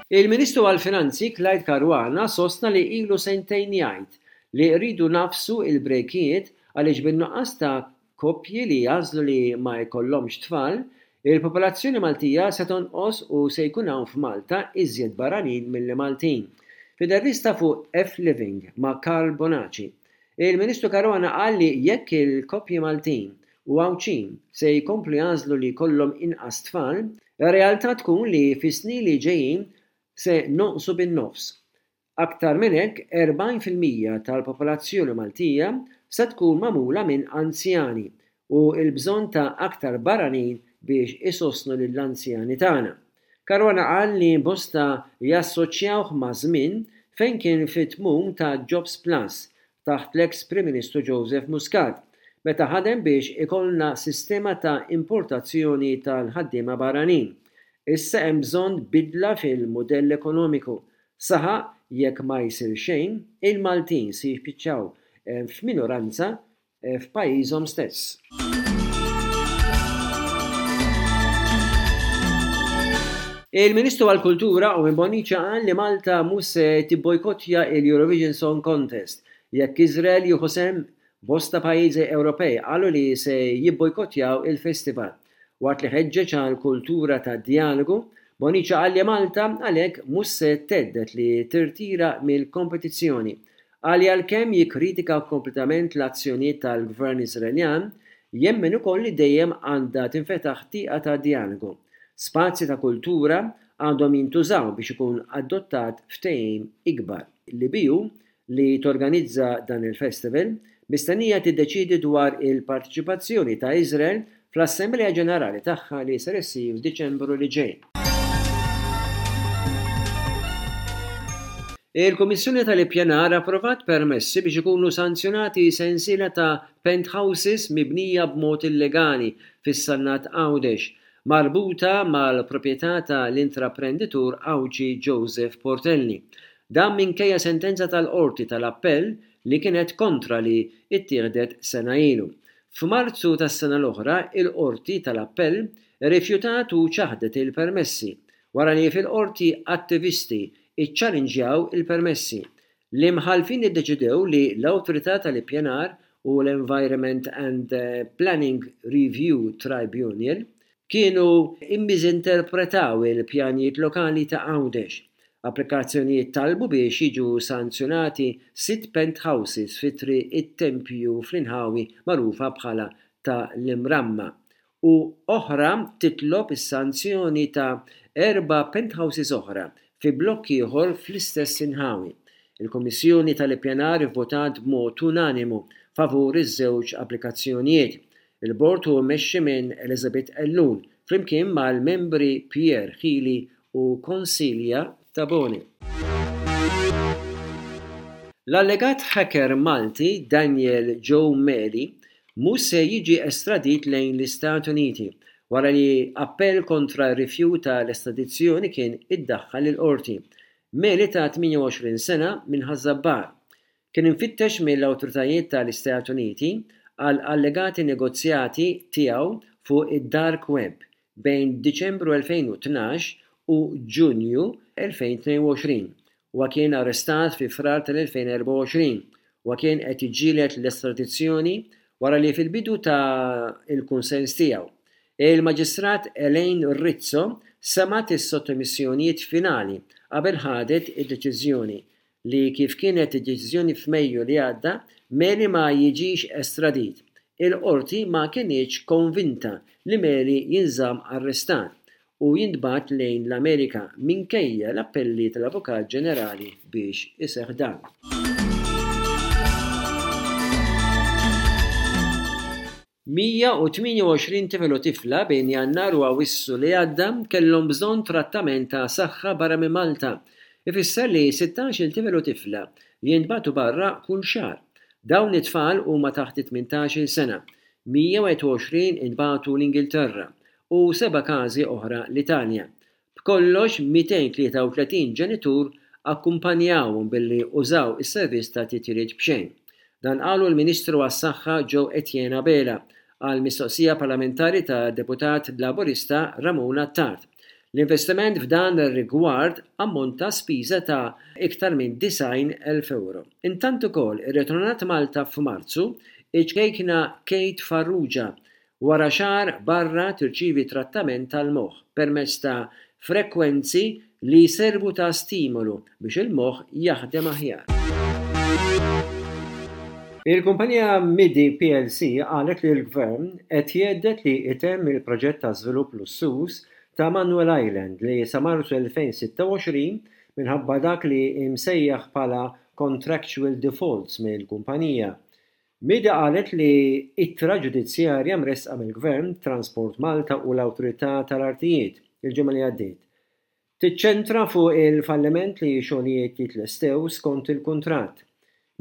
Il-Ministru għall-Finanzi Clyde Caruana sostna li ilu sentejn jgħid li rridu nagħfsu l-brejkijiet għaliex bin-nuqqas ta' koppji li jagħżlu li ma jkollhomx tfal, il-popolazzjoni Maltija se tonqos u se jkun hawn f'Malta iżjed barranin milli Maltin. F'intervista fuq F-Living ma' Karl Bonaci, il-Ministru Caruana qal li jekk il-koppji Maltin u Għawdxin se jkomplu jagħżlu li jkollhom inqas tfal, ir-realtà tkun li fis-snin li ġejjin se nonqsu bin-nofs. Aktar minn hekk, 40% tal-popolazzjoni Maltija se tkun magħmula minn anzjani u l-bżonn ta' aktar barranin biex isostnu lill-anzjani tagħna. Caruana qal li bosta jassoċjawh ma' żmien fejn kien fit-tmum ta' Jobs Plus taħt l-eks Prim Ministru Joseph Muscat, meta ħadem biex ikollna sistema ta' importazzjoni tal-ħaddiema barranin. Issa hemm bżonn bidla fil-mudell ekonomiku. Saħaq jekk ma jsir xejn, il-Maltin se jispiċċaw f'minoranza f'pajjiżhom stess. Il-Ministru għall-Kultura Owen Bonnici qal li Malta mhux se tibbojkottja l-Eurovision Song Contest jekk Iżrael jieħu sehem. Bosta pajjiżi Ewropej qalu li se jibbojkottjaw il-festival. Waqt li ħeġġeġ għal kultura ta' djalogu, Bonnici qal li Malta għalhekk mhux se thedded li tirtira mill-kompetizzjoni Qal li għalkemm jikkritika kompletament l-azzjonijiet tal-Gvern Iżraeljan, jemmen ukoll li dejjem għandha tinfetaħ tieqa ta' djalogu. Spazji ta' kultura għandhom jintużaw biex ikun adottat ftehim ikbar. L-EBU, li torganizza dan il-festival, mistennija tiddeċiedi dwar il-parteċipazzjoni ta' Iżrael fl-Assemblea Ġenerali tagħha li ser issir f'Diċembru li ġej. Il-Kummissjoni tal-Ippjanar approvat permessi biex ikunu sanzjonati sensiela ta' penthouses mibnija b'mod illegali fis-Sannat Għawdex, marbuta mal-proprjetà ta' l-intraprenditur Għawdxi Joseph Portelli. Dan minkejja sentenza tal-Qorti tal-Appell li kienet kontra li ttieħdet sena ilu. F'Marzu tas-sena l-oħra, il-Qorti tal-Appell irrifjutat u ċaħdet il-permessi, wara li fil-Qorti attivisti ċċalinġjaw il-permessi. L-imħallfin iddeċidew li l-Awtorità tal-Ippjanar u l-Environment and Planning Review Tribunal kienu mmiżinterpretaw il-pjanijiet lokali ta' Għawdex. Applikazzjonijiet talbu biex jiġu sanzjonati sitt penthouses fi Triq it-Tempju fl-inħawi magħrufa bħala ta' l-Imramma u oħra titlob is-sanzjoni ta' erba' penthouses oħra fi blokk ieħor fl-istess inħawi. Il-Kummissjoni tal-Ippjanar ivvotat b'mod unanimu favur iż-żewġ applikazzjonijiet. Il-bord hu mmexxi minn Elizabeth Ellul flimkien mal-membri Pierre Hili u Consilia Tabone. L-allegat hacker Malti Daniel Joe Meli mhux se jiġi estradit lejn l-Istati Uniti wara li appell kontra r-rifjut tal-estradizzjoni kien iddaħħal il-Qorti. Meli ta' 28 sena minn Ħaż-Żabbar Kien imfittex mill-awtoritajiet tal-Istati Uniti għal allegati negozjati tiegħu fuq id-dark web bejn Diċembru 2012 u Ġunju 2022. Huwa kien arrestat fi Frar tal-2024. Huwa kien qed jiġġieled l-estradizzjoni wara li fil-bidu ta l-kunsens tiegħu. Il-Maġistrat Elaine Rizzo semgħet is-sottomissjonijiet finali qabel ħadet id-deċiżjoni li kif kienet id-deċiżjoni f'Mejju li għadda, Meli ma jiġix estradit. Il-Qorti ma kinitx konvinta li Meli jinżamm arrestat u jintbagħat lejn l-Amerika minkejja l-appelli tal-Avukat Ġenerali biex iseħħ dan. 128 tifel u tifla bejn Jannar u Awwissu li għadda kellhom bżonn trattament ta' saħħa barra minn Malta. Ifisser li sittax-il tifel u tifla jintbagħtu barra kull xahar. Dawn it-tfal huma taħt it-tmintax-il sena. 121 intbagħtu l-Ingilterra u seba' każi oħra l-Italja. B'kollox 233 ġenitur akkumpanjawhom billi użaw is-servizz ta' titjiriet b'xejn. Dan qalu l-Ministru għas-Saħħa Joe Etienne Abela għal mistoqsija parlamentari tad-Deputat Laburista Ramon Attard. L-investiment f'dan ir-rigward ammonta spiża ta' iktar minn 90,000 ewro. Intant ukoll irritornat Malta f'Marzu iċ-ċkejkna Kate Farrugia wara xahar barra tirċievi trattament tal-moħħ permezz ta' frekwenzi li jservu ta' stimolu biex il-moħħ jaħdem aħjar. Il-kumpanija Midi plc qalet li l-Gvern qed jhedded li jtemm il-proġett ta' żvilupp lussuż ta' Manoel Island li sa Marzu 2026 minħabba dak li imsejjaħ bħala contractual defaults mill-kumpanija. Midi qalet li ittra ġudizzjarja mressqa mill-Gvern, Transport Malta u l-Awtorità tal-Artijiet il-ġimgħa li għaddiet, tiċċentra fuq il-falliment li xogħlijiet jitlestew skont il-kuntratt.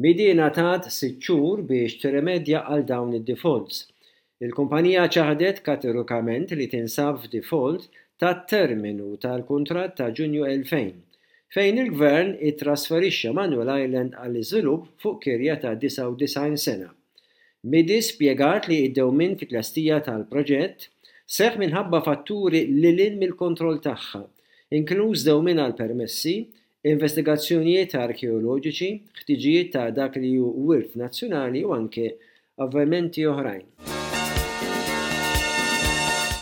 Midi ngħatat sitt xhur biex tirrimedja għal dawn id-defaults. Il-kumpanija ċaħdet kategorikament li tinsab f'default tat-terminu tal-kuntratt ta' Ġunju 2000, fejn il-Gvern ittrasferixxa Manuel Island għall-iżvilupp fuq kirja ta' 99 sena. Midi spjegat li d-dewmien fit-tlestija tal-proġett seħħ minħabba fatturi lil hinn mill-kontroll tagħha, inkluż dewmien għall-permessi, investigazzjonijiet arkeoloġiċi, ħtiġijiet ta' dak li hu wirt nazzjonali u anke avvenimenti oħrajn.